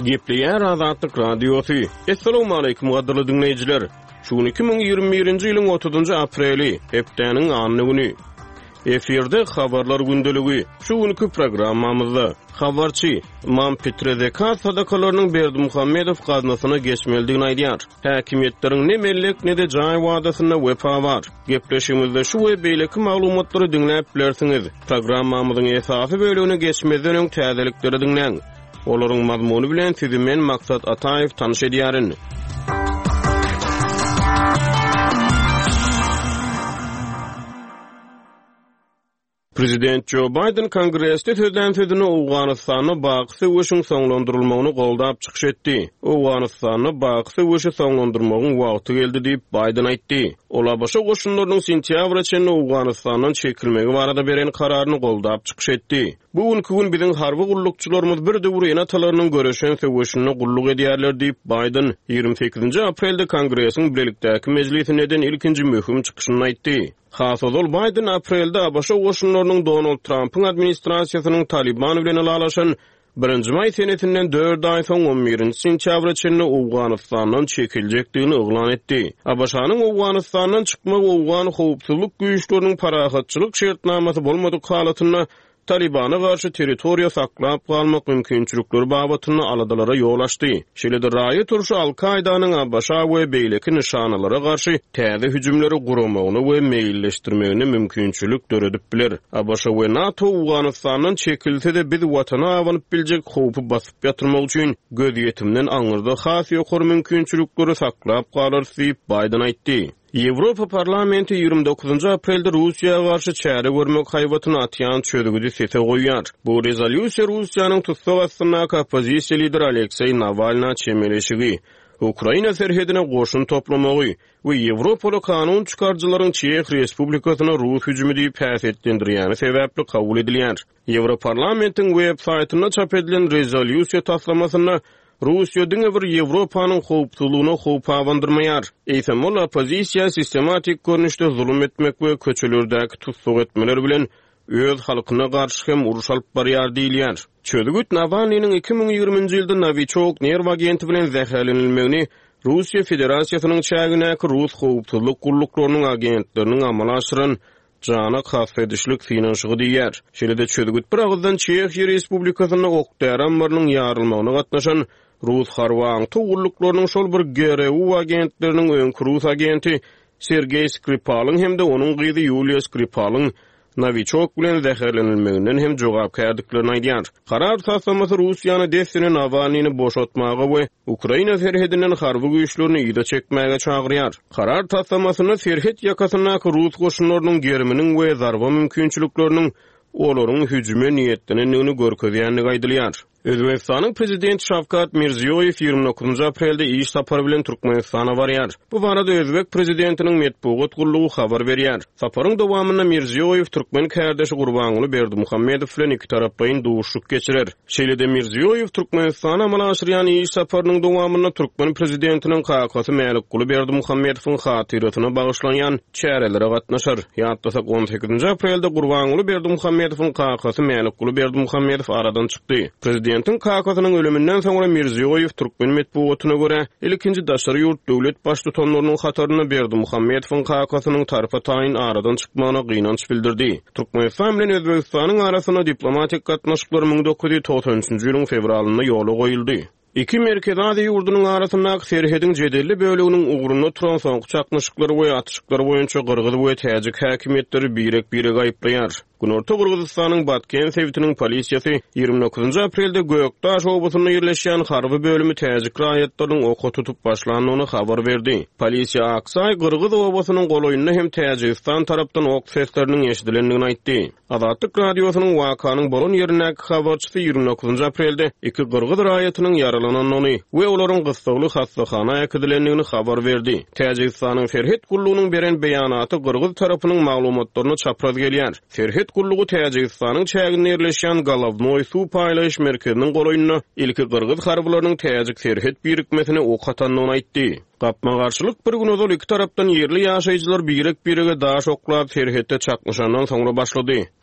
Gepleýär Azatlyk Radiosy. Essalawmaleýkim gadyrly diňleýjiler! Şu gün 2021-nji ýylyň 30-njy apreli, hepdäniň anna güni. Efirde Habarlar gündeligi. Şu günki programmamyzda habarçy Ymam Pitre zekat sadakalarynyň Berdimuhamedow gaznasyna geçmelidigini aýdýar. Häkimiýetleriň ne mellek, ne-de jaý wadasynda wepa bar. Gepleşigimizde şu we beýleki maglumatlary diňläp bilersiňiz. Programmamyzyň esasy bölegine geçmezden öň täzelikleri diňläň. Olaryň mazmuny bilen sizi men Maksat Ataýew tanyş edýärin. Prezident Jo Baýden Kongresde sözlän sözünde Owganystanda baky söweşiň soňlandyrylmagyny goldap çykyş etdi. Owganystanda baky söweşi soňlandyrmagyň wagty geldi diýip, Baýden aýtdy. Ol ABŞ goşunlarynyň sentýabra çenli Owganystandan çekilmegi barada beren kararyny goldap çykyş etdi. Bu günki gün biziň harby gullukçylarymyz bir döwür ene-atalarynyň göreşen söweşinde gulluk edýärler diýip, Baýden ýigrimi sekizinji aprelde Kongresiň bilelikdäki mejlisinde eden ilkinji möhüm çykyşynda aýtdy. Has ozal Baýden aprelde ABŞ goşunlarynyň Donald Trampyň administrasiýasynyň Talyban bilen ylalaşan birinji maý senesinden dört aý soň on birinji sentýabra çenli Owganystandan çekiljekdigini yglan etdi. ABŞ-nyň Owganystandan çykmagy owgan howpsuzlyk güýçleriniň parahatçylyk şertnamasy bolmadyk halatynda Talybana garşy territoriýa saklap galmak mümkinçilikleri babatynda aladalara ýol açdy. Şeýle-de raýat urşy Al-Kaýdanyň ABŞ-a we beýleki nyşanalara garşy täze hüjümleri guramagyna we meýilleşdirmegine mümkinçilik döredip biler. ABŞ we NATO Owganystandan çekilse-de, biz Watana abanyp biljek howpy basyp ýatyrmak üçin gözýetimden aňyrda has ýokary mümkinçilikleri saklap galarys diýip, Baýden aýtdy. Ýewropa Parlamenti 29 aprelde Russiýa garşy çäre görmek haýbatyny atýan çözgüdi sese goýýar. Bu rezolýusiýa Russiýanyň tussag astyndaky oppozisiýa lideri Alekseý Nawalna çemeleşigi, Ukraina serhedine goşun toplamagy we ýewropaly kanun çykaryjylaryň Çeh Respublikasyna rus hüjümi diýip häsiýetlendirýäni sebäpli kabul edilýär. Ýewroparlamentiň web saýtynda çap edilen rezolýusiýa taslamasynda Russiýa diňe bir Ýewropanyň howpsuzlygyna howp abandyrmaýar, eýsem ol oppozisiýa sistematik görnüşde zulum etmek we köçelerdäki tussag etmeler bilen öz halkyna garşy hem uruş alyp barýar diýilýär. Çözgüt Nawalnynyň 2020-nji ýylda Nowiçok nerw agenti bilen zäherlenilmegini Russiýa Federasiýasynyň çägindäki rus howpsuzlyk gulluklarynyň agentleriniň amala aşyran jana kast edişlik synanyşygy diýýär. Şeýle-de çözgüt bir agyzdan Çehiýa Respublikasynda ok-däri ammarynyň ýarylmagyna gatnaşan rus harby aňtaw gulluklarynyň şol bir GRU agentleriniň öňki rus agenti Sergeý Skripalyň hem-de onuň gyzy Ýuliýa Skripalyň Nowiçok bilen zäherlenilmeginden hem jogapkärdiklerini aýdýar. Karar taslamasy Russiýany dessine Nawalnyny boşatmaga we Ukraina serhedinden harby güýçlerini yza çekmäge çagyrýar. Karar taslamasynda serhet ýakasyndaky rus goşunlarynyň geriminiň we zarba mümkinçilikleriniň olaryň hüjüme niýetlenendigini görkezýändigi aýdylýar. Özbegistanyň Prezidenti Şawkat Mirziýoýew 29 aprelde iş sapary bilen Türkmenistana barýar. Bu barada özbek prezidentiniň metbugat gullugy habar berýär. Saparyň dowamynda Mirziýoýew türkmen kärdeşi Gurbanguly Berdimuhamedow bilen ikitaraplaýyn duşuşyk geçirer. Şeýle-de Mirziýoýew Türkmenistana amala aşyrýan iş saparynyň dowamynda türkmen prezidentiniň kakasy Mälikguly Berdimuhamedowyň hatyrasyna bagyşlanýan çärelere gatnaşar. Ýatlasak, on sekizinji aprelde Gurbanguly Berdimuhamedowyň kakasy Mälikguly Berdimuhamedow aradan çykdy. Prezidentiň kakasynyň ölüminden soňra Mirziýoýew türkmen metbugatyna görä, ilkinji daşary ýurt döwlet baştutanlarynyň hatarynda Berdimuhamedowyň kakasynyň tarpa-taýyn aradan çykmagyna gynanç bildirdi. Türkmenistan bilen Özbegistanyň arasynda diplomatik gatnaşyklar 1993-nji ýylyň fewralynda ýola goýuldy. Iki Merkezi Aziýa ýurdunyň arasyndaky serhediň jedelli böleginiň ugrunda turan soňky çaknyşyklar we atyşyklar boýunça gyrgyz we täjik häkimiýetleri birek-biregi aýyplaýar. Günorta Gyrgyzystanyň Batken sebitiniň polisiýasy 29 aprelde Gökdaş obasynda ýerleşýän harby bölümi täjik raýatlarynyň oka tutup başlandygyny habar berdi. Polisiýa Aksaý gyrgyz obasynyň golaýynda hem Täjigistan tarapdan ok sesleriniň eşidilendigini aýtdy. Azatlyk Radiosynyň wakanyň bolan ýerindäki habarçysy 29 aprelde iki gyrgyz raýatynyň ýaralanandygyny we olaryň gyssagly hassahana äkidilendigini habar berdi. Täjigistanyň serhet gullugynyň beren beýanaty gyrgyz tarapynyň maglumatlaryna çapraz gelýär. Serhet gullugy Täjigistanyň çäginde ýerleşýän Golownoý suw paýlaýyş merkeziniň golaýynda ilki gyrgyz harbylarynyň täjik serhet birikmesine ok atandygyny aýtdy. Gapma-garşylyk bir gün ozal iki tarapdan ýerli ýaşaýjylar birek-birege daş oklap, serhetde çaknyşandan soňra başlady.